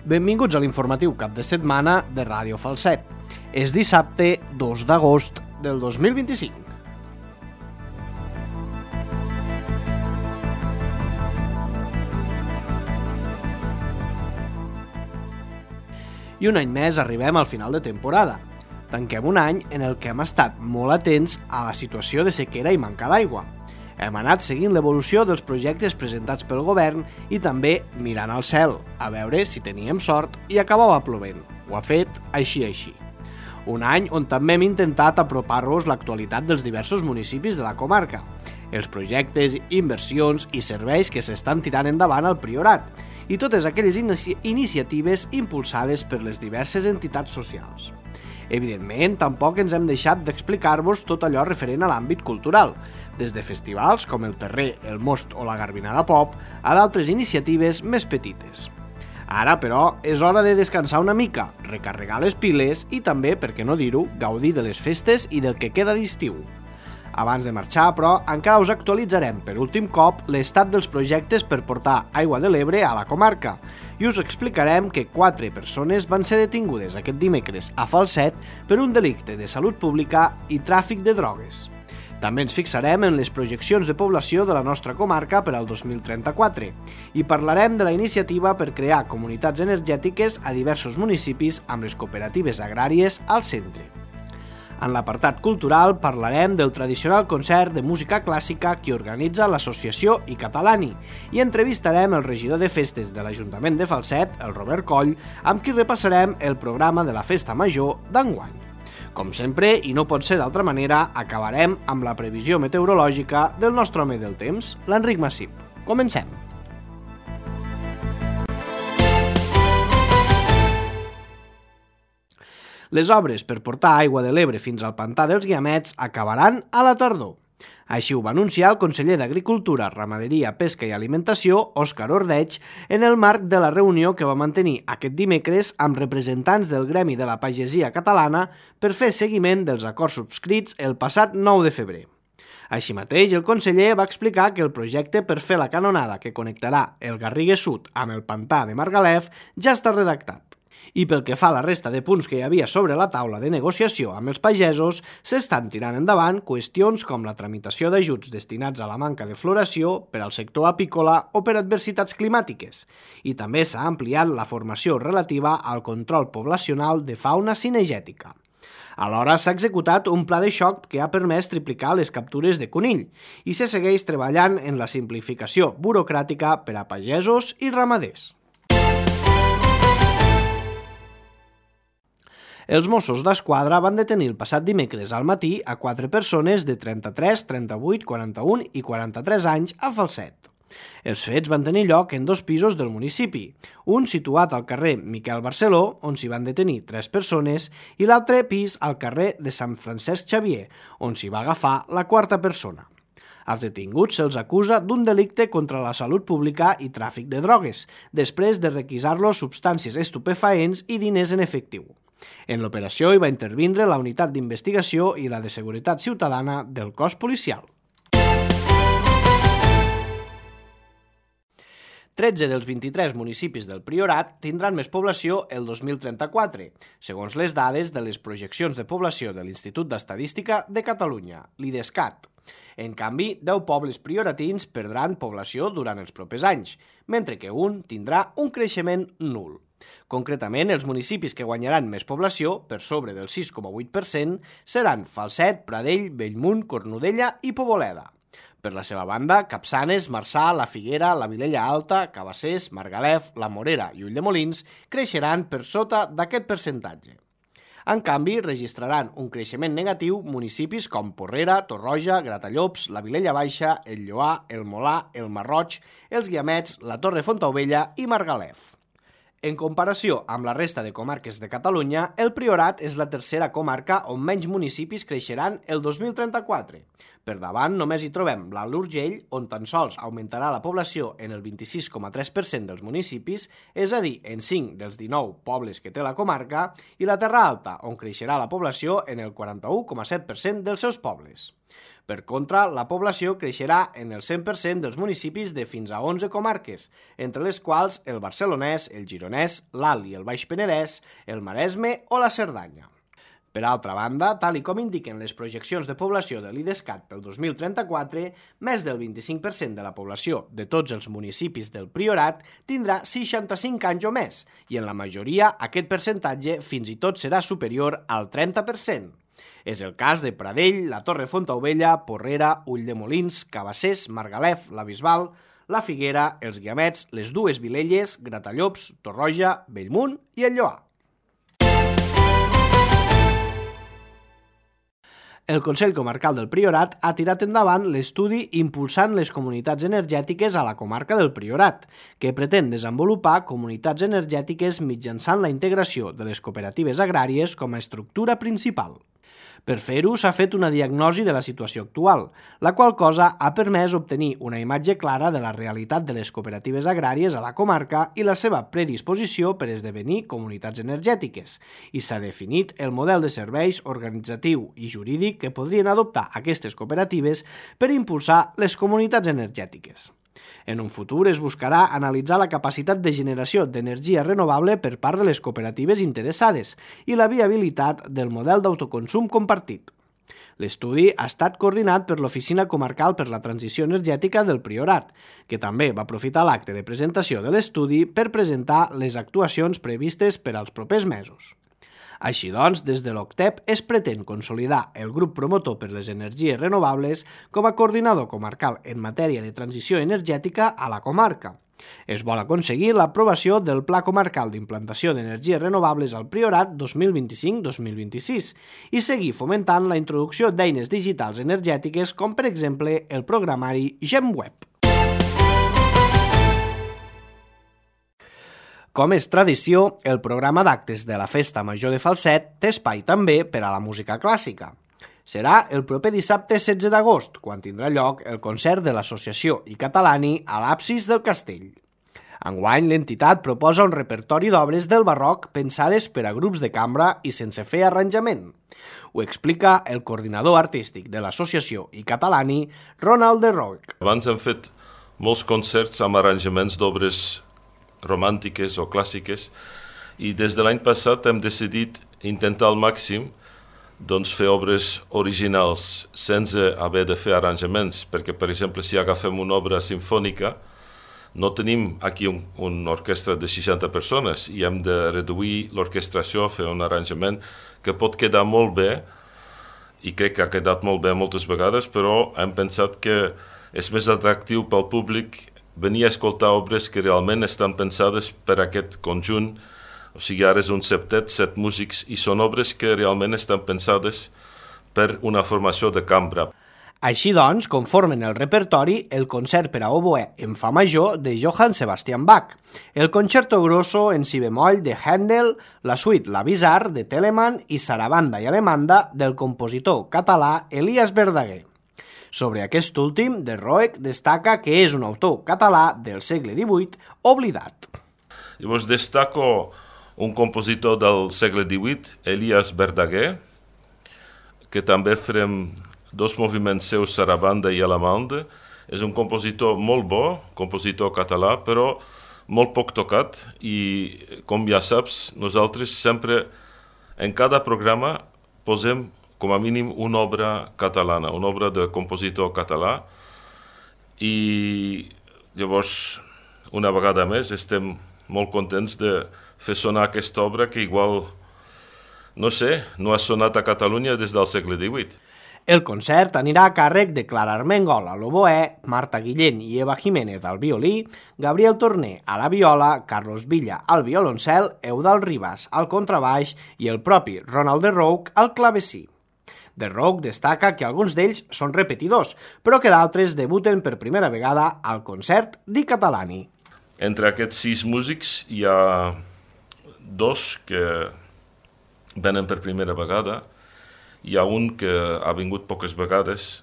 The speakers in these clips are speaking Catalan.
Benvinguts a l'informatiu cap de setmana de Ràdio Falset. És dissabte 2 d'agost del 2025. I un any més arribem al final de temporada. Tanquem un any en el que hem estat molt atents a la situació de sequera i manca d'aigua. Hem anat seguint l'evolució dels projectes presentats pel govern i també mirant al cel, a veure si teníem sort i acabava plovent. Ho ha fet així. Un any on també hem intentat apropar-vos l'actualitat dels diversos municipis de la comarca, els projectes, inversions i serveis que s'estan tirant endavant al Priorat i totes aquelles iniciatives impulsades per les diverses entitats socials. Evidentment, tampoc ens hem deixat d'explicar-vos tot allò referent a l'àmbit cultural, des de festivals com el Terrer, el Most o la Garbinada Pop, a d'altres iniciatives més petites. Ara, però, és hora de descansar una mica, recarregar les piles i també, per què no dir-ho, gaudir de les festes i del que queda d'estiu. Abans de marxar, però, encara us actualitzarem per últim cop l'estat dels projectes per portar aigua de l'Ebre a la comarca i us explicarem que 4 persones van ser detingudes aquest dimecres a Falset per un delicte de salut pública i tràfic de drogues. També ens fixarem en les projeccions de població de la nostra comarca per al 2034 i parlarem de la iniciativa per crear comunitats energètiques a diversos municipis amb les cooperatives agràries al centre. En l'apartat cultural parlarem del tradicional concert de música clàssica que organitza l'associació iCatalani i entrevistarem el regidor de festes de l'Ajuntament de Falset, el Robert Coll, amb qui repassarem el programa de la Festa Major d'enguany. Com sempre, i no pot ser d'altra manera, acabarem amb la previsió meteorològica del nostre home del temps, l'Enric Massip. Comencem! Les obres per portar aigua de l'Ebre fins al pantà dels Guiamets acabaran a la tardor. Així ho va anunciar el conseller d'Agricultura, Ramaderia, Pesca i Alimentació, Òscar Ordeig, en el marc de la reunió que va mantenir aquest dimecres amb representants del Gremi de la Pagesia Catalana per fer seguiment dels acords subscrits el passat 9 de febrer. Així mateix, el conseller va explicar que el projecte per fer la canonada que connectarà el Garriga Sud amb el pantà de Margalef ja està redactat. I pel que fa a la resta de punts que hi havia sobre la taula de negociació amb els pagesos, s'estan tirant endavant qüestions com la tramitació d'ajuts destinats a la manca de floració per al sector apícola o per adversitats climàtiques, i també s'ha ampliat la formació relativa al control poblacional de fauna cinegètica. Alhora s'ha executat un pla de xoc que ha permès triplicar les captures de conill i se segueix treballant en la simplificació burocràtica per a pagesos i ramaders. Els Mossos d'Esquadra van detenir el passat dimecres al matí a 4 persones de 33, 38, 41 i 43 anys a Falset. Els fets van tenir lloc en 2 pisos del municipi, un situat al carrer Miquel Barceló, on s'hi van detenir 3 persones, i l'altre pis al carrer de Sant Francesc Xavier, on s'hi va agafar la 4a persona. Als detinguts se'ls acusa d'un delicte contra la salut pública i tràfic de drogues, després de requisar-los substàncies estupefaents i diners en efectiu. En l'operació hi va intervindre la Unitat d'Investigació i la de Seguretat Ciutadana del cos policial. 13 dels 23 municipis del Priorat tindran més població el 2034, segons les dades de les projeccions de població de l'Institut d'Estadística de Catalunya, l'IDESCAT. En canvi, 10 pobles prioratins perdran població durant els propers anys, mentre que un tindrà un creixement nul. Concretament, els municipis que guanyaran més població, per sobre del 6,8%, seran Falset, Pradell, Bellmunt, Cornudella i Poboleda. Per la seva banda, Capçanes, Marçà, La Figuera, la Vilella Alta, Cabassers, Margalef, la Morera i Ulldemolins creixeran per sota d'aquest percentatge. En canvi, registraran un creixement negatiu municipis com Porrera, Torroja, Gratallops, la Vilella Baixa, el Lloar, el Molà, el Marroig, els Guiamets, la Torre Fontaubella i Margalef. En comparació amb la resta de comarques de Catalunya, el Priorat és la tercera comarca on menys municipis creixeran el 2034. Per davant només hi trobem l'Alt Urgell, on tan sols augmentarà la població en el 26,3% dels municipis, és a dir, en 5 dels 19 pobles que té la comarca, i la Terra Alta, on creixerà la població en el 41,7% dels seus pobles. Per contra, la població creixerà en el 100% dels municipis de fins a 11 comarques, entre les quals el barcelonès, el gironès, l'Alt i el Baix Penedès, el Maresme o la Cerdanya. Per altra banda, tal i com indiquen les projeccions de població de l'IDESCAT pel 2034, més del 25% de la població de tots els municipis del Priorat tindrà 65 anys o més, i en la majoria aquest percentatge fins i tot serà superior al 30%. És el cas de Pradell, la Torre Fontaubella, Porrera, Ulldemolins, Cabassers, Margalef, la Bisbal, la Figuera, els Guiamets, les dues Vilelles, Gratallops, Torroja, Bellmunt i el Lloar. El Consell Comarcal del Priorat ha tirat endavant l'estudi Impulsant les comunitats energètiques a la comarca del Priorat, que pretén desenvolupar comunitats energètiques mitjançant la integració de les cooperatives agràries com a estructura principal. Per fer-ho s'ha fet una diagnosi de la situació actual, la qual cosa ha permès obtenir una imatge clara de la realitat de les cooperatives agràries a la comarca i la seva predisposició per esdevenir comunitats energètiques, i s'ha definit el model de serveis organitzatiu i jurídic que podrien adoptar aquestes cooperatives per impulsar les comunitats energètiques. En un futur es buscarà analitzar la capacitat de generació d'energia renovable per part de les cooperatives interessades i la viabilitat del model d'autoconsum compartit. L'estudi ha estat coordinat per l'Oficina Comarcal per la Transició Energètica del Priorat, que també va aprofitar l'acte de presentació de l'estudi per presentar les actuacions previstes per als propers mesos. Així doncs, des de l'OCTEP es pretén consolidar el grup promotor per les energies renovables com a coordinador comarcal en matèria de transició energètica a la comarca. Es vol aconseguir l'aprovació del Pla Comarcal d'Implantació d'Energies Renovables al Priorat 2025-2026 i seguir fomentant la introducció d'eines digitals energètiques com, per exemple, el programari GemWeb. Com és tradició, el programa d'actes de la Festa Major de Falset té espai també per a la música clàssica. Serà el proper dissabte 16 d'agost, quan tindrà lloc el concert de l'Associació i Catalani a l'absis del castell. Enguany, l'entitat proposa un repertori d'obres del barroc pensades per a grups de cambra i sense fer arranjament. Ho explica el coordinador artístic de l'Associació i Catalani, Ronald de Roig. Abans hem fet molts concerts amb arranjaments d'obres romàntiques o clàssiques i des de l'any passat hem decidit intentar al màxim fer obres originals sense haver de fer arranjaments, perquè per exemple si agafem una obra sinfònica no tenim aquí una orquestra de 60 persones i hem de reduir l'orquestració, fer un arranjament que pot quedar molt bé i crec que ha quedat molt bé moltes vegades, però hem pensat que és més atractiu pel públic venir a escoltar obres que realment estan pensades per aquest conjunt, o sigui, ara és un septet, 7 músics, i són obres que realment estan pensades per una formació de cambra. Així doncs, conformen el repertori el concert per a oboè en fa major de Johann Sebastian Bach, el concerto grosso en si bemoll de Händel, la suite La Bizarre de Telemann i Sarabanda i Alemanda del compositor català Elias Verdaguer. Sobre aquest últim, de Roeg destaca que és un autor català del segle XVIII oblidat. Llavors destaco un compositor del segle XVIII, Elias Verdaguer, que també farem 2 moviments seus, Sarabanda i Alemanda. És un compositor molt bo, compositor català, però molt poc tocat i, com ja saps, nosaltres sempre en cada programa posem com a mínim una obra catalana, una obra de compositor català i llavors una vegada més estem molt contents de fer sonar aquesta obra que igual, no sé, no ha sonat a Catalunya des del segle XVIII. El concert anirà a càrrec de Clara Armengol a l'oboè, Marta Guillén i Eva Jiménez al violí, Gabriel Torner a la viola, Carlos Villa al violoncel, Eudald Ribas al contrabaix i el propi Ronald de Roig al clavecí. De Roig destaca que alguns d'ells són repetidors, però que d'altres debuten per primera vegada al concert di Catalani. Entre aquests 6 músics hi ha 2 que venen per primera vegada, hi ha un que ha vingut poques vegades,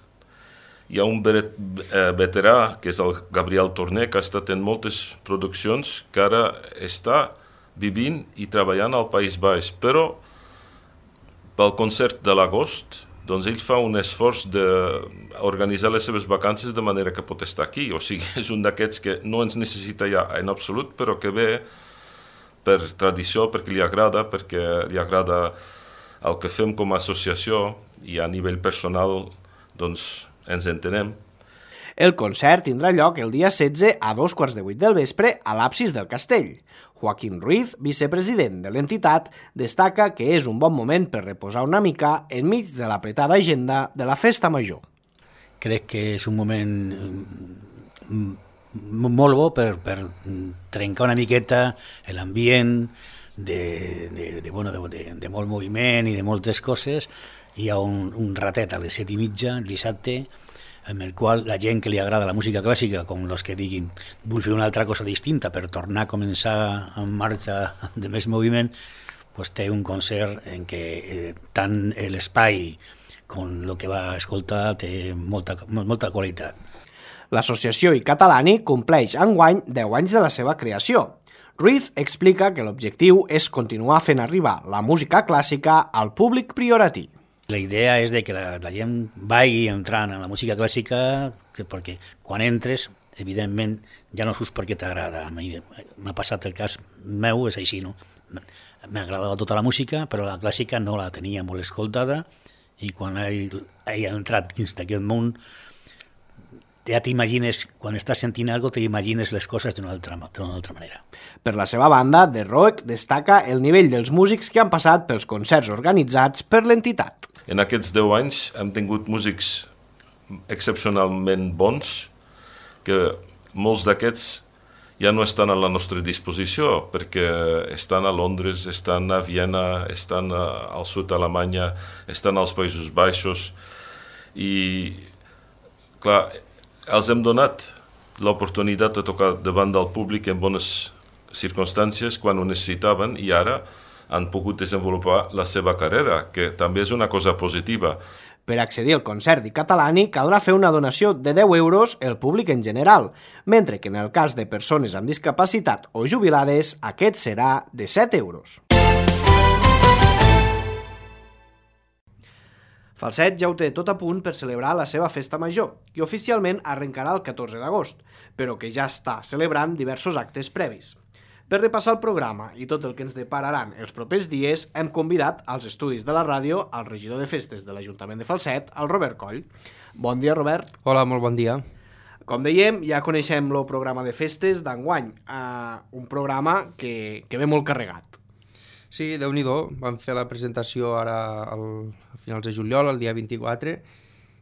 hi ha un veterà, que és el Gabriel Torner, que ha estat en moltes produccions, que ara està vivint i treballant al País Baix, però pel concert de l'agost, doncs ell fa un esforç d'organitzar les seves vacances de manera que pot estar aquí. O sigui, és un d'aquests que no ens necessita ja en absolut, però que ve per tradició, perquè li agrada el que fem com a associació i a nivell personal doncs ens entenem. El concert tindrà lloc el dia 16 a 2:15 del vespre a l'absis del castell. Joaquín Ruiz, vicepresident de l'entitat, destaca que és un bon moment per reposar una mica enmig de l'apretada agenda de la festa major. Crec que és un moment molt bo per trencar una miqueta l'ambient de molt moviment i de moltes coses. Hi ha un ratet a les 7:30 dissabte en el qual la gent que li agrada la música clàssica, com els que diguin vull fer una altra cosa distinta per tornar a començar en marxa de més moviment, pues té un concert en què tant l'espai com el que va escoltar té molta qualitat. L'associació iCatalani compleix enguany 10 anys de la seva creació. Ruiz explica que l'objectiu és continuar fent arribar la música clàssica al públic prioratí. La idea és de que la gent vagi entrant en la música clàssica perquè quan entres, evidentment, ja no surts perquè t'agrada. M'ha passat el cas meu, és així, no? M'agradava tota la música, però la clàssica no la tenia molt escoltada i quan he entrat dins d'aquest món ja t'imagines, quan estàs sentint alguna cosa, t'imagines les coses d'una altra manera. Per la seva banda, The Rock destaca el nivell dels músics que han passat pels concerts organitzats per l'entitat. En aquests 10 anys hem tingut músics excepcionalment bons, que molts d'aquests ja no estan a la nostra disposició, perquè estan a Londres, estan a Viena, estan al sud d'Alemanya, estan als Països Baixos, i clar, els hem donat l'oportunitat de tocar davant del públic en bones circumstàncies quan ho necessitaven i ara han pogut desenvolupar la seva carrera, que també és una cosa positiva. Per accedir al concert iCatalani caldrà fer una donació de 10 euros el públic en general, mentre que en el cas de persones amb discapacitat o jubilades aquest serà de 7 euros. Falset ja ho té tot a punt per celebrar la seva festa major, que oficialment arrencarà el 14 d'agost, però que ja està celebrant diversos actes previs. Per repassar el programa i tot el que ens depararan els propers dies, hem convidat als estudis de la ràdio al regidor de festes de l'Ajuntament de Falset, el Robert Coll. Bon dia, Robert. Hola, molt bon dia. Com dèiem, ja coneixem el programa de festes d'enguany, un programa que ve molt carregat. Sí, Déu-n'hi-do, vam fer la presentació ara a finals de juliol, el dia 24,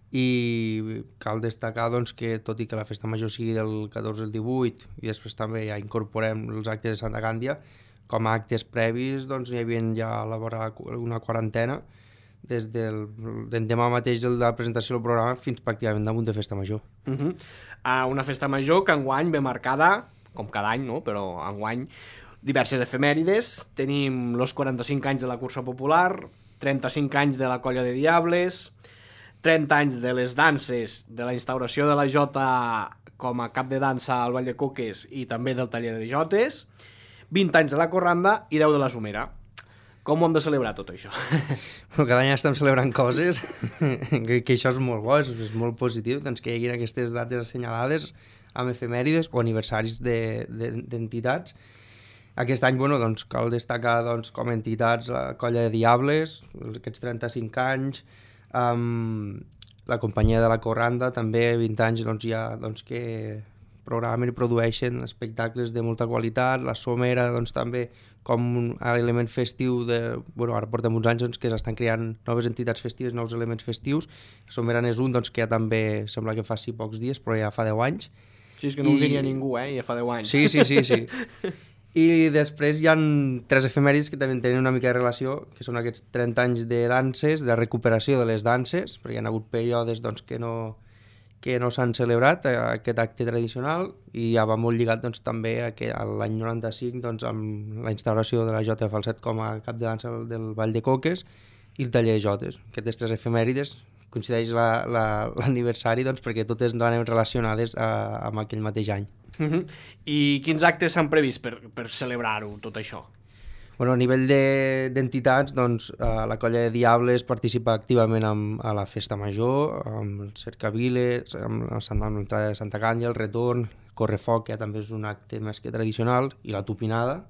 i cal destacar doncs, que tot i que la festa major sigui del 14 al 18 i després també ja incorporem els actes de Santa Gàndia, com a actes previs doncs, hi havia ja a la vora una quarantena des del demà mateix de la presentació del programa fins pràcticament damunt de festa major. Una festa major que enguany ve marcada, com cada any, no? Però enguany diverses efemèrides. Tenim els 45 anys de la cursa popular, 35 anys de la colla de Diables, 30 anys de les danses, de la instauració de la jota com a cap de dansa al Vall de Coques i també del taller de jotes, 20 anys de la corranda i 10 de la somera. Com ho hem de celebrar tot això? Cada any estem celebrant coses, que això és molt bo, és molt positiu, doncs que hi hagi aquestes dates assenyalades amb efemèrides o aniversaris d'entitats. Aquest any doncs, cal destacar com a entitats la colla de Diables, aquests 35 anys, la companyia de la Corranda, també 20 anys que programen i produeixen espectacles de molta qualitat, la Somera també com un element festiu, ara portem uns anys que s'estan creant noves entitats festives, nous elements festius. La Somera n'és un que ja també sembla que fa pocs dies, però ja fa 10 anys. Sí, és que no ho diria ningú, ja fa 10 anys. Sí. I després hi ha 3 efemèrides que també tenen una mica de relació, que són aquests 30 anys de danses, de recuperació de les danses, perquè hi ha hagut períodes que no s'han celebrat aquest acte tradicional, i ja va molt lligat també a l'any 95 amb la instauració de la Jota de Falset com a cap de dansa del Vall de Coques i el taller de jotes. Aquestes 3 efemèrides coincideix l'aniversari perquè totes anem relacionades amb aquell mateix any. I quins actes s'han previst per celebrar-ho, tot això? Bueno, a nivell d'entitats, doncs, la colla de Diables participa activament a la Festa Major, amb el Cercaviles, amb l'entrada de Santa Càndia, el retorn, Correfoc, que també és un acte més que tradicional, i la tupinada,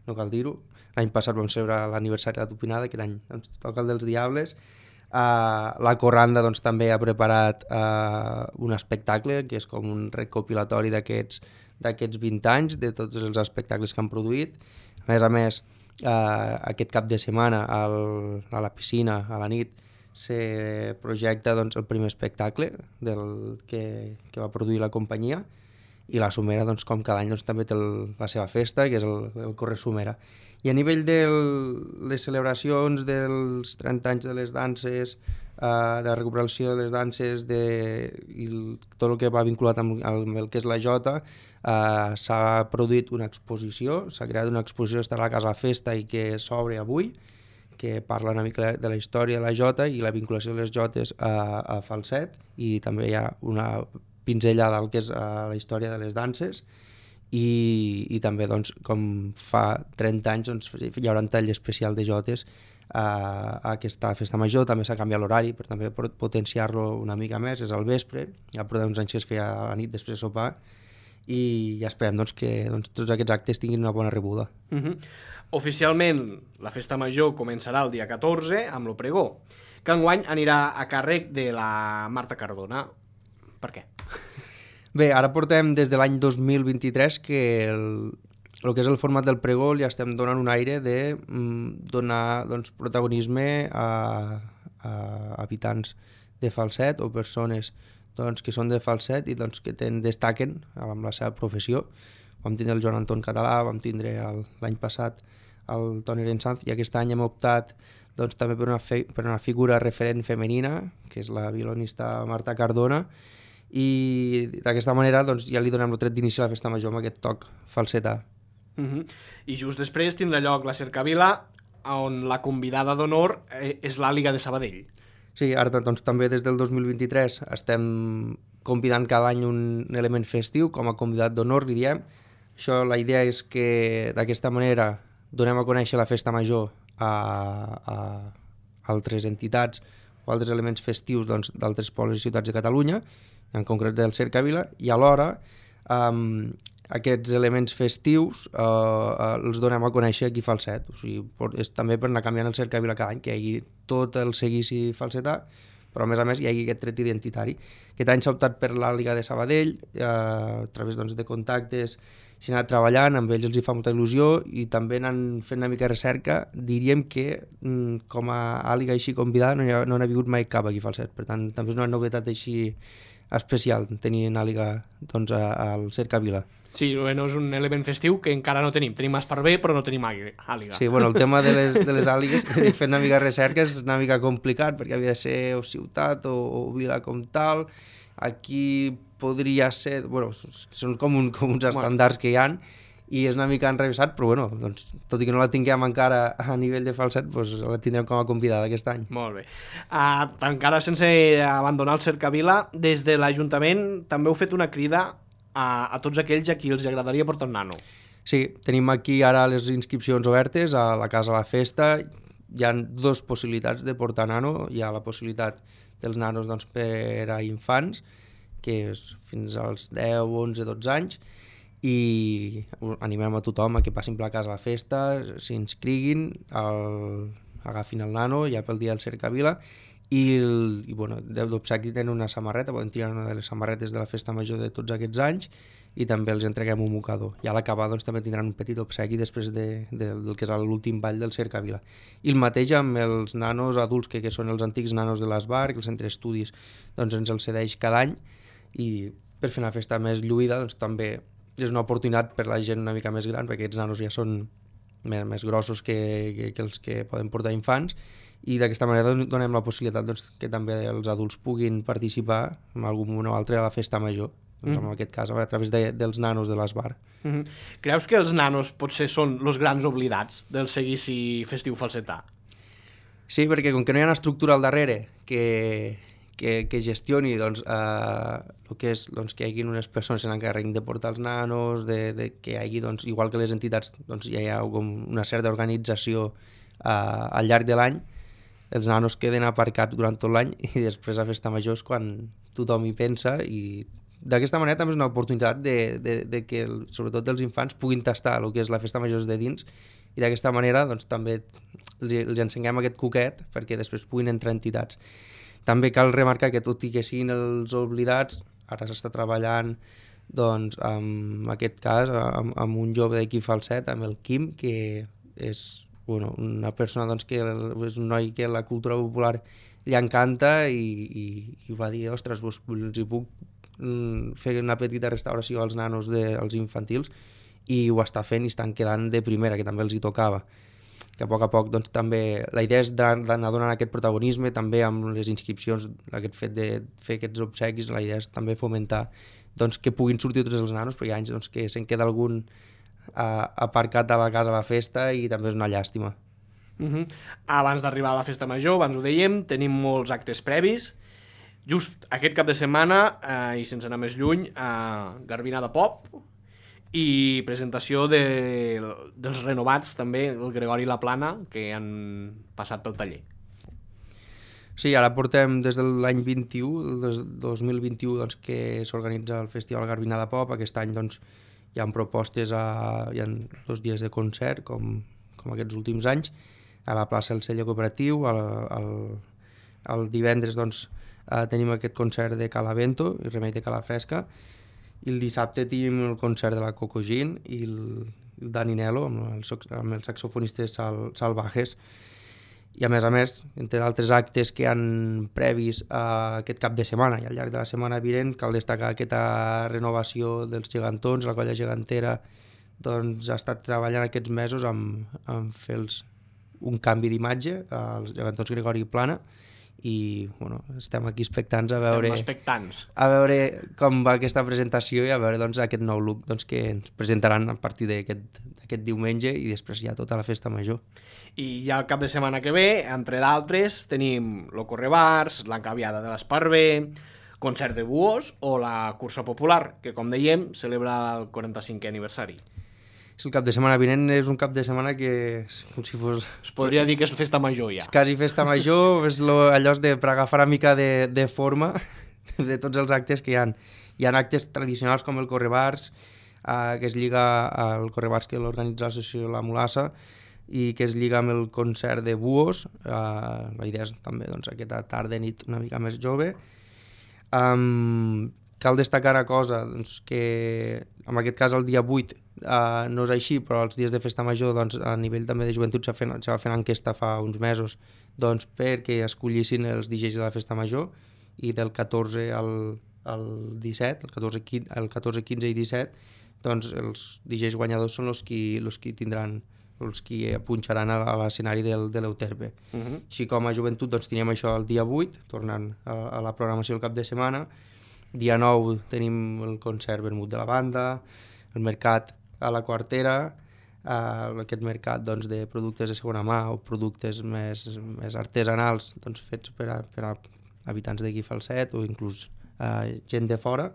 no cal dir-ho. L'any passat vam celebrar l'aniversari de la tupinada, aquest any ens toca el dels Diables. La Corranda doncs, també ha preparat un espectacle, que és com un recopilatori d'aquests 20 anys, de tots els espectacles que han produït. A més, aquest cap de setmana a la piscina, a la nit, se projecta doncs, el primer espectacle que va produir la companyia, i la Somera, doncs, com cada any, doncs, també té la seva festa, que és el Corre Somera. I a nivell de les celebracions dels 30 anys de les danses, de la recuperació de les danses i tot el que va vinculat amb el que és la Jota, s'ha produït una exposició, s'ha creat una exposició que estarà a la Casa Festa i que s'obre avui, que parla una mica de la història de la Jota i la vinculació de les Jotes a Falset, i també hi ha una pinzellada al que és la història de les danses, i també, doncs, com fa 30 anys, doncs, hi haurà un tall especial de Jotes a aquesta festa major. També s'ha canviat l'horari per també potenciar-lo una mica més, és al vespre, ja portem uns anys que es feia a la nit després de sopar, i ja esperem doncs, que tots aquests actes tinguin una bona rebuda. Oficialment, la festa major començarà el dia 14 amb lo pregó, que enguany anirà a càrrec de la Marta Cardona. Per què? Bé, ara portem des de l'any 2023 que el que és el format del pregó li estem donant un aire de donar, doncs, protagonisme a habitants de Falset o persones, doncs, que són de Falset i, doncs, que destaquen amb la seva professió. Vam tindre el Joan Anton Català, vam tindre l'any passat el Toni Rensanz, i aquest any hem optat, doncs, també per una figura referent femenina, que és la violonista Marta Cardona, i d'aquesta manera, doncs, ja li donem el tret d'inici a la festa major amb aquest toc falsetà. I just després tindrà lloc la Cercavila, on la convidada d'honor és l'Àliga de Sabadell. Sí, ara, doncs, també des del 2023 estem convidant cada any un element festiu com a convidat d'honor, li diem. Això, la idea és que d'aquesta manera donem a conèixer la festa major a altres entitats o altres elements festius, doncs, d'altres pobles i ciutats de Catalunya, en concret del Cercavila, i alhora aquests elements festius els donem a conèixer aquí a Falset. O sigui, és també per anar canviant el Cercavila cada any, que hi hagi tot el seguici falsetà, però a més hi hagi aquest tret identitari. Aquest any s'ha optat per l'Àliga de Sabadell, a través, doncs, de contactes s'ha anat treballant, amb ells els hi fa molta il·lusió, i també anant fent una mica de recerca. Diríem que com a Àliga així convidada no n'ha vingut mai cap aquí a Falset, per tant també és una novetat així especial tenir una àliga, doncs, al Cercavila. Sí, bueno, és un element festiu que encara no tenim. Tenim Esparver, però no tenim àliga. Sí, bueno, el tema de les àligues, fent una mica de recerca, és una mica complicat, perquè havia de ser o ciutat o vila com tal. Aquí podria ser... Bueno, són com uns estàndards que hi ha, i és una mica enrevessat, però bueno, doncs, tot i que no la tinguem encara a nivell de Falset, doncs la tindrem com a convidada aquest any. Molt bé. Encara sense abandonar el Cercavila, des de l'Ajuntament també heu fet una crida a tots aquells a qui els agradaria portar un nano. Sí, tenim aquí ara les inscripcions obertes a la Casa la Festa. Hi ha dues possibilitats de portar nano. Hi ha la possibilitat dels nanos, doncs, per a infants, que és fins als 10, 11, 12 anys, i animem a tothom a que passin per la Casa la Festa, s'inscriguin, agafin el nano ja pel dia del Cercavila, i bueno, d'obsequi tenen una samarreta, poden tirar una de les samarretes de la festa major de tots aquests anys, i també els entreguem un mocador. I a l'acabar, doncs, també tindran un petit obsequi després del que és l'últim ball del Cercavila. I el mateix amb els nanos adults, que són els antics nanos de l'Esbar, que el centre d'estudis, doncs, ens els cedeix cada any, i per fer una festa més lluïda, doncs, també és una oportunitat per la gent una mica més gran, perquè aquests nanos ja són més grossos que els que poden portar infants, i d'aquesta manera donem la possibilitat, doncs, que també els adults puguin participar en algun moment o altre a la festa major, doncs, en aquest cas a través dels nanos de l'Esbar. Creus que els nanos potser són els grans oblidats del seguici festiu falsetà? Sí, perquè com que no hi ha una estructura al darrere que que gestioni doncs, el que és doncs, que hi hagi unes persones que s'encarreguin de portar els nanos, de que hi hagi, doncs, igual que les entitats, doncs, hi ha com una certa organització al llarg de l'any. Els nanos queden aparcats durant tot l'any i després a Festa Major és quan tothom hi pensa, i d'aquesta manera també és una oportunitat de que, sobretot els infants, puguin tastar el que és la Festa Major de dins, i d'aquesta manera doncs, també els ensenyem aquest coquet perquè després puguin entrar entitats. També cal remarcar que tot i que siguin els oblidats, ara s'està treballant doncs, en aquest cas amb un jove d'aquí Falset, amb el Quim, que és una persona doncs, que és un noi que la cultura popular li encanta, i va dir, ostres, els hi puc fer una petita restauració als nanos als infantils, i ho està fent i estan quedant de primera, que també els hi tocava. Que a poc doncs, també la idea és d'anar donant aquest protagonisme, també amb les inscripcions, aquest fet de fer aquests obsequis, la idea és també fomentar doncs, que puguin sortir tots els nanos, perquè hi ha anys doncs, que se'n queda algun aparcat a la casa a la festa, i també és una llàstima. Abans d'arribar a la Festa Major, abans ho dèiem, tenim molts actes previs. Just aquest cap de setmana, i sense anar més lluny, Garbina de Pop i presentació dels renovats també, el Gregori i la Plana, que han passat pel taller. Sí, ara portem des de l'any 21, el 2021, doncs, que s'organitza el Festival Garbina de Pop. Aquest any doncs, hi ha propostes, hi ha 2 dies de concert, com aquests últims anys, a la plaça del Celler Cooperatiu. El divendres doncs, tenim aquest concert de Calavento i Remei de Calafresca, i el dissabte tenim el concert de la Coco Gin i el Dani Nelo amb els saxofonistes salvajes. I a més, entre d'altres actes que han previs aquest cap de setmana i al llarg de la setmana vinent, cal destacar aquesta renovació dels gegantons. La colla gegantera doncs, ha estat treballant aquests mesos en fer un canvi d'imatge als gegantons Gregori i Plana, i estem aquí expectants a veure com va aquesta presentació, i a veure doncs, aquest nou look doncs, que ens presentaran a partir d'aquest diumenge, i després ja tota la Festa Major. I ja el cap de setmana que ve, entre d'altres, tenim lo Correbars, l'encaviada de l'Esparver, concert de buos o la cursa popular, que com dèiem celebra el 45è aniversari. El cap de setmana vinent és un cap de setmana que és com si fos... Es podria dir que és Festa Major ja. És quasi Festa Major, és allò per agafar una mica de forma de tots els actes que hi ha. Hi ha actes tradicionals com el Correbars, que es lliga al Correbars, que l'organitza l'associació La Mulassa, i que es lliga amb el concert de buos. La idea és també doncs, aquesta tarda-nit una mica més jove. Cal destacar una cosa, doncs, que en aquest cas el dia 8 no és així, però els dies de Festa Major doncs, a nivell també de joventut se va fer una enquesta fa uns mesos doncs, perquè escollissin els DJs de la Festa Major, i del 14 al 17, el 14, 15 i 17, doncs els DJs guanyadors són els qui tindran, els qui punxaran a l'escenari de l'Euterpe. Així com a joventut doncs, tenim això el dia 8, tornant a la programació del cap de setmana. Dia 9 tenim el concert vermut de la banda, el mercat a la Quartera, aquest mercat doncs, de productes de segona mà o productes més artesanals doncs, fets per a habitants d'aquí Falset o inclús gent de fora.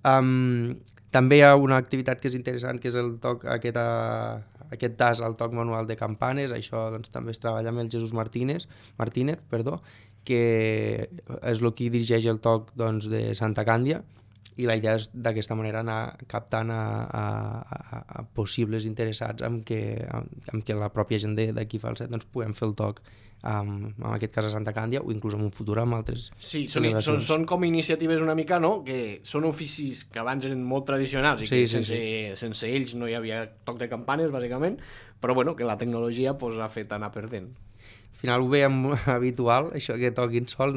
També hi ha una activitat que és interessant, que és el toc, aquest tas al toc manual de campanes. Això doncs, també es treballa amb el Jesús Martínez, que és el qui dirigeix el toc doncs, de Santa Càndia, i la idea és d'aquesta manera anar captant a possibles interessats amb que la pròpia gent d'aquí Falset doncs, puguem fer el toc en aquest cas a Santa Càndia, o inclús en un futur amb altres celebracions. Són com iniciatives una mica, no?, que són oficis que abans eren molt tradicionals i que sense ells no hi havia toc de campanes, bàsicament, però bueno, que la tecnologia pues, ha fet anar perdent. Al final ho veiem habitual, això que toquin sol,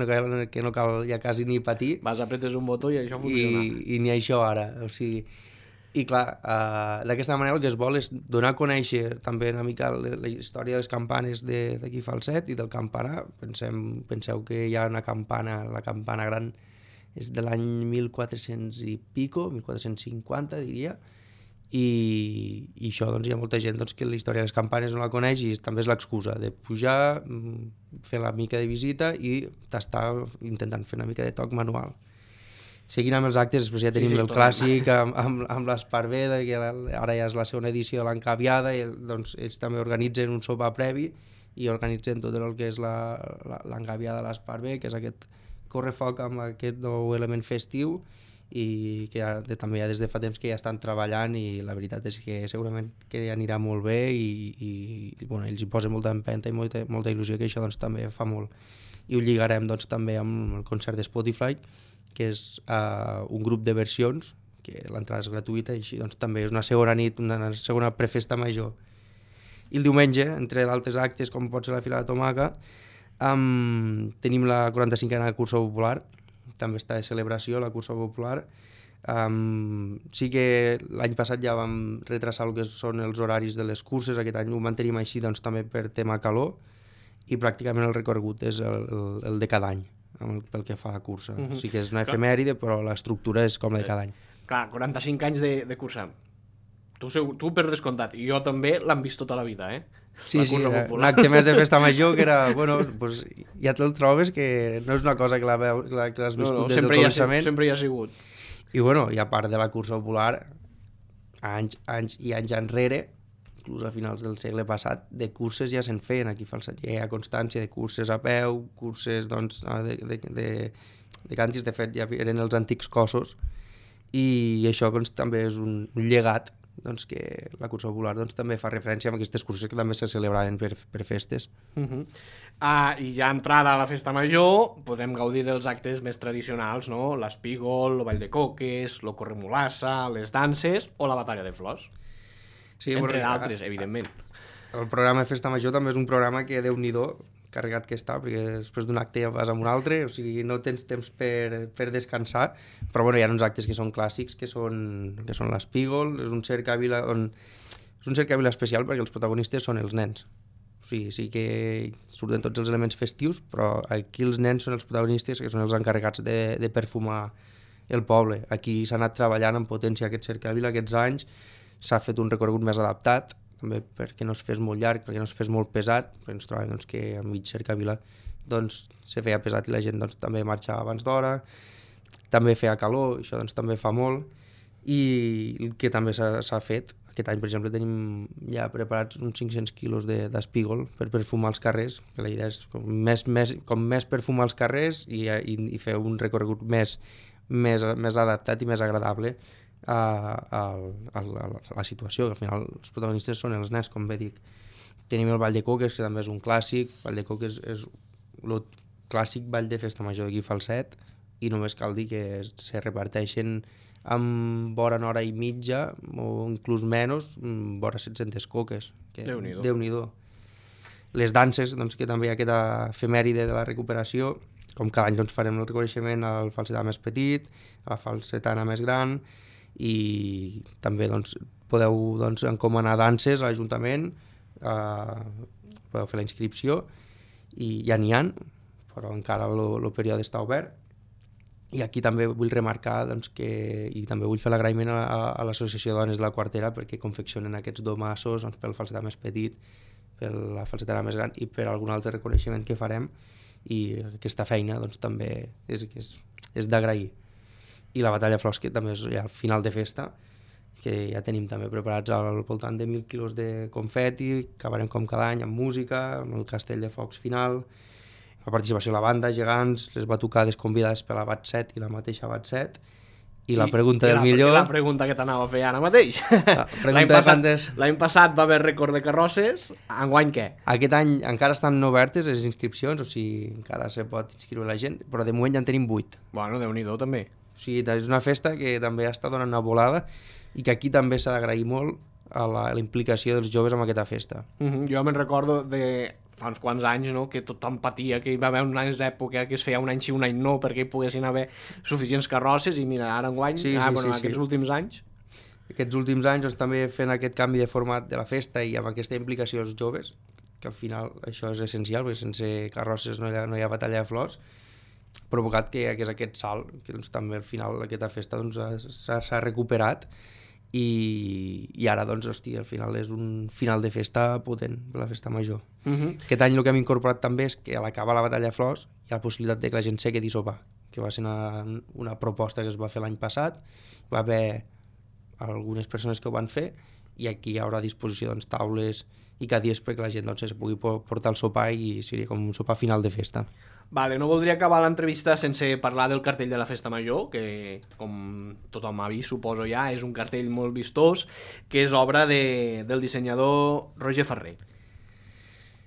que no cal ja quasi ni patir. Vas, apretes un botó i això funciona. I ni això ara, o sigui... I clar, d'aquesta manera el que es vol és donar a conèixer també una mica la història de les campanes d'aquí Falset i del campanar. Penseu que hi ha una campana, la campana gran és de l'any 1400 i pico, 1450 diria, i això doncs, hi ha molta gent doncs, que la història de les campanes no la coneix i també és l'excusa de pujar, fer la mica de visita i tastar intentant fer una mica de toc manual. Seguint amb els actes, després ja tenim el clàssic amb l'Esparver, que ara ja és la segona edició de l'Encaviada, i doncs ells també organitzen un sopar previ i organitzen tot el que és l'Encaviada de l'Esparver, que és aquest correfoc amb aquest nou element festiu i que també ja des de fa temps que ja estan treballant i la veritat és que segurament que anirà molt bé i bueno, ells hi posen molta empenta i molta il·lusió, que això doncs, també fa molt. I ho lligarem doncs, també amb el concert de Spotify, que és un grup de versions, que l'entrada és gratuïta i així doncs, també és una segona nit, una segona prefesta major. I el diumenge, entre d'altres actes com pot ser la Fila de Tomaca, tenim la 45a cursa popular, també està de celebració la cursa popular. Sí que l'any passat ja vam retrasar el que són els horaris de les curses, aquest any ho mantenim així doncs, també per tema calor, i pràcticament el recorregut és el de cada any pel que fa a la cursa. Sí que és una efemèride, però l'estructura és com la de cada any. Clar, 45 anys de cursa. Tu per descomptat, i jo també l'han vist tota la vida, Sí, un acte més de festa major que era, bueno, pues, ja te'l trobes que no és una cosa que l'has viscut des del començament. Sempre hi ha sigut. I bueno, i a part de la cursa popular, anys i anys enrere, inclús a finals del segle passat, de curses ja se'n feien aquí a Falset. Ja hi ha constància de curses a peu, curses doncs, de càntirs, de fet ja eren els antics cossos, i això doncs, també és un llegat doncs, que la cursa popular doncs, també fa referència a aquestes curses que també se celebraven per festes. I ja entrada a la festa major podem gaudir dels actes més tradicionals, no? L'espígol, el ball de coques, el corremolassa, les danses o la batalla de flors. Sí, entre d'altres, evidentment. El programa de festa major també és un programa que Déu-n'hi-do carregat que està, perquè després d'un acte ja vas a un altre, o sigui, no tens temps per descansar, però bueno, hi ha uns actes que són clàssics, que són l'espígol, és un cercavila especial perquè els protagonistes són els nens. O sigui, sí que surten tots els elements festius, però aquí els nens són els protagonistes, que són els encarregats de perfumar el poble. Aquí s'ha anat treballant en potència aquest cercavila aquests anys, s'ha fet un recorregut més adaptat, també perquè no es fes molt llarg, perquè no es fes molt pesat, perquè ens trobem doncs, que a mig cercavila doncs, se feia pesat i la gent doncs, també marxava abans d'hora, també feia calor, això doncs, també fa molt, i el que també s'ha fet, aquest any per exemple tenim ja preparats uns 500 quilos d'espígol per perfumar els carrers, que la idea és com més perfumar els carrers i fer un recorregut més adaptat i més agradable a la situació, que al final els protagonistes són els nens, com bé dic. Tenim el ball de coques, que també és un clàssic. El ball de coques és el clàssic ball de festa major d'aquí Falset, i només cal dir que se reparteixen amb vora una hora i mitja o inclús menys, vora 700 coques. Déu-n'hi-do. Les danses, doncs, que també hi ha aquesta efemèride de la recuperació, com cada any doncs, farem el reconeixement al falsetà més petit, a la falsetana més gran, i també doncs, podeu doncs, encomanar danses a l'Ajuntament, podeu fer la inscripció i ja n'hi ha, però encara el període està obert. I aquí també vull remarcar doncs, i també vull fer l'agraïment a l'Associació de Dones de la Quartera perquè confeccionen aquests domassos doncs, pel falsetà més petit, per la falsetana més gran i per algun altre reconeixement que farem, i aquesta feina doncs, també és d'agrair. I la batalla de flors, que també és ja al final de festa, que ja tenim també preparats al voltant de 1.000 quilos de confeti, acabarem com cada any amb música, amb el castell de focs final, la participació de la banda, gegants, les batucades convidades per la Bat 7 i la mateixa Bat 7, i la pregunta del millor... La pregunta que t'anava a fer ara mateix. L'any passat va haver rècord de carrosses, enguany què? Aquest any encara estan obertes les inscripcions, o sigui, encara se pot inscriure la gent, però de moment ja en tenim 8. Bueno, Déu-n'hi-do també. O sigui, és una festa que també està donant una volada i que aquí també s'ha d'agrair molt a la implicació dels joves en aquesta festa. Jo me'n recordo de fa uns quants anys, no?, que tothom patia, que hi va haver un anys d'època que es feia un any sí, un any no, perquè hi poguessin haver suficients carrosses, i mira, ara enguany, aquests últims anys... Aquests últims anys doncs, també fent aquest canvi de format de la festa i amb aquesta implicació dels joves, que al final això és essencial, perquè sense carrosses no hi ha batalla de flors, provocat que és aquest salt, que doncs, també al final aquesta festa doncs, s'ha recuperat, i ara, doncs, hòstia, al final és un final de festa potent, la festa major. Aquest any el que hem incorporat també és que a l'acabar la batalla de flors hi ha la possibilitat de que la gent se quedi a sopar, que va ser una proposta que es va fer l'any passat, va haver algunes persones que ho van fer i aquí hi haurà a disposició doncs, taules i cadires perquè la gent doncs, se pugui portar el sopar i seria com un sopar final de festa. Vale, no voldria acabar l'entrevista sense parlar del cartell de la Festa Major, que, com tothom ha vist, suposo ja, és un cartell molt vistós, que és obra del dissenyador Roger Ferrer.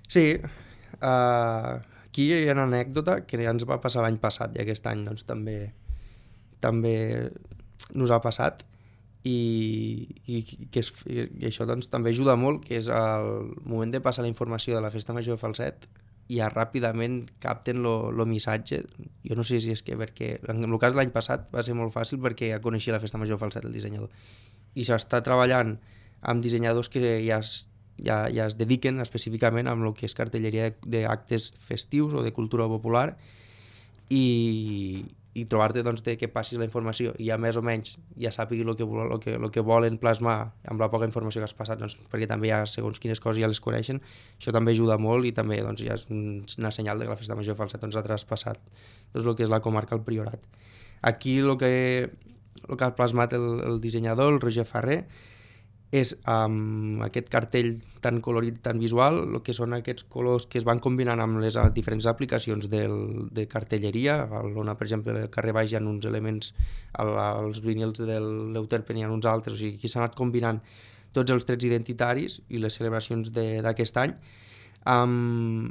Sí, aquí hi ha una anècdota que ja ens va passar l'any passat i aquest any doncs, també nos ha passat i això doncs, també ajuda molt, que és el moment de passar la informació de la Festa Major de Falset ja ràpidament capten el missatge. Jo no sé si és que perquè en el cas de l'any passat va ser molt fàcil perquè ja coneixia la Festa Major de Falset, el dissenyador, i s'està treballant amb dissenyadors que ja es dediquen específicament amb el que és cartelleria d'actes festius o de cultura popular i trobar-te doncs, que passis la informació i ja més o menys ja sàpigui el que volen plasmar amb la poca informació que has passat, doncs, perquè també hi ha segons quines coses ja les coneixen, això també ajuda molt i també doncs, ja és una senyal de que la Festa Major de Falset doncs, ha traspassat doncs, el que és la comarca del Priorat. Aquí el que ha plasmat el dissenyador, el Roger Ferrer, és aquest cartell tan colorit, tan visual, el que són aquests colors que es van combinant amb les diferents aplicacions de cartelleria, on, per exemple, al carrer baix hi ha uns elements, als vinils de l'Euterpen hi ha uns altres, o sigui, aquí s'han anat combinant tots els trets identitaris i les celebracions d'aquest any amb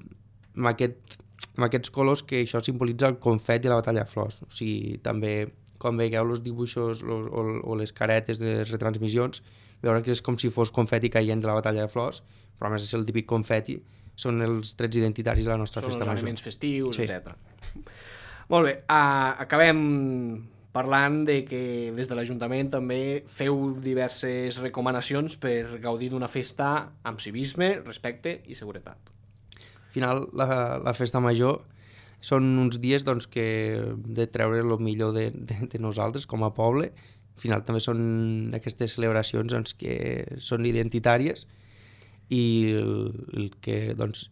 aquests colors que això simbolitza el confeti i la batalla de flors. O sigui, també, quan veieu els dibuixos o les caretes de les retransmissions, veure que és com si fos confeti caient de la batalla de flors, però a més és el típic confeti, són els trets identitaris de la nostra festa major. Són els elements festius, sí. etc. Molt bé, acabem parlant de que des de l'Ajuntament també feu diverses recomanacions per gaudir d'una festa amb civisme, respecte i seguretat. Al final, la festa major són uns dies doncs, que hem de treure el millor de nosaltres com a poble. Al final també són aquestes celebracions doncs, que són identitàries i el que doncs,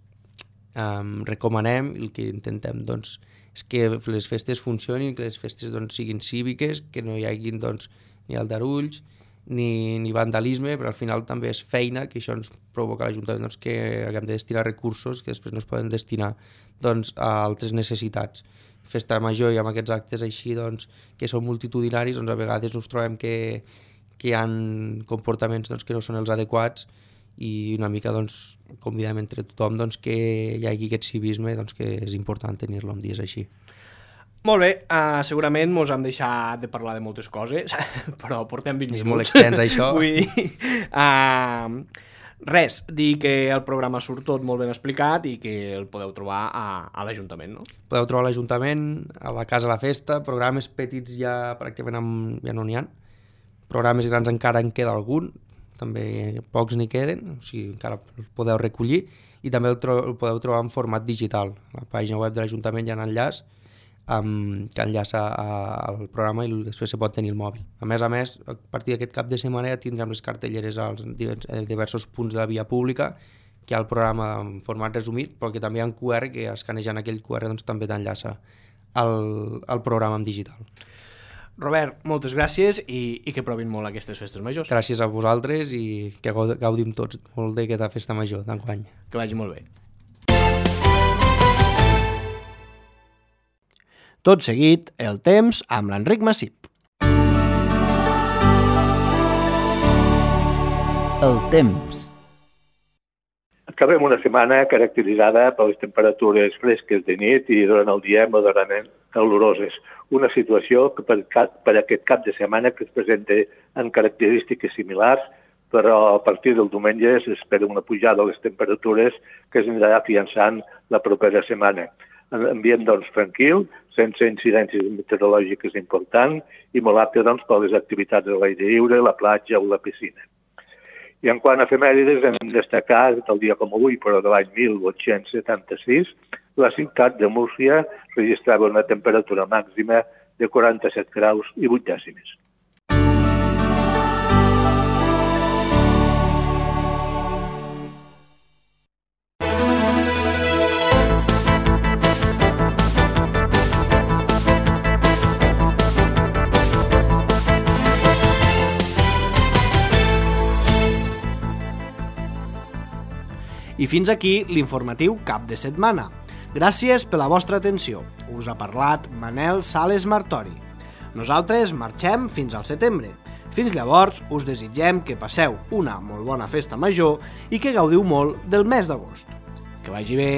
recomanem, el que intentem doncs, és que les festes funcionin, que les festes doncs, siguin cíviques, que no hi hagi doncs, ni aldarulls ni vandalisme, però al final també és feina, que això ens provoca a l'Ajuntament doncs, que haguem de destinar recursos que després no es poden destinar doncs, a altres necessitats. Festa major i amb aquests actes així doncs, que són multitudinaris, doncs, a vegades ens trobem que hi ha comportaments doncs, que no són els adequats i una mica doncs, convidem entre tothom doncs, que hi hagi aquest civisme doncs, que és important tenir-lo en dies així. Molt bé, segurament mos hem deixat de parlar de moltes coses, però portem 20 minuts. És molt extens, això. Vull dir, res, dir que el programa surt tot molt ben explicat i que el podeu trobar a l'Ajuntament, no? Podeu trobar a l'Ajuntament, a la Casa de la Festa, programes petits ja pràcticament ja no n'hi ha. Programes grans encara en queda algun, també pocs n'hi queden, o sigui, encara els podeu recollir i també el podeu trobar en format digital. A la pàgina web de l'Ajuntament hi ha un enllaç que enllaça al programa i després se pot tenir el mòbil. A més, a partir d'aquest cap de setmana ja tindrem les cartelleres als diversos punts de la via pública, que hi ha el programa en format resumit, però que també hi ha un QR que escanejant aquell QR doncs, també t'enllaça al programa en digital. Robert, moltes gràcies i que provin molt aquestes festes majors. Gràcies a vosaltres i que gaudim tots molt d'aquesta festa major d'enguany. Que vagi molt bé. Tot seguit, el temps amb l'Enric Massip. El temps. Acabem una setmana caracteritzada per les temperatures fresques de nit i durant el dia moderadament caloroses. Una situació que per aquest cap de setmana que es presenta en característiques similars, però a partir del diumenge s'espera una pujada de les temperatures que es anirà afiançant la propera setmana. En ambient doncs, tranquil, sense incidències meteorològiques importants i molt apte doncs, per les activitats de l'aire lliure, la platja o la piscina. I en quant a efemèrides, hem destacat el dia com avui, però de l'any 1876, la ciutat de Múrcia registrava una temperatura màxima de 47 graus i 8 dècimes. fins aquí l'informatiu cap de setmana. Gràcies per la vostra atenció. Us ha parlat Manel Sales Martori. Nosaltres marxem fins al setembre. Fins llavors, us desitgem que passeu una molt bona festa major i que gaudiu molt del mes d'agost. Que vagi bé!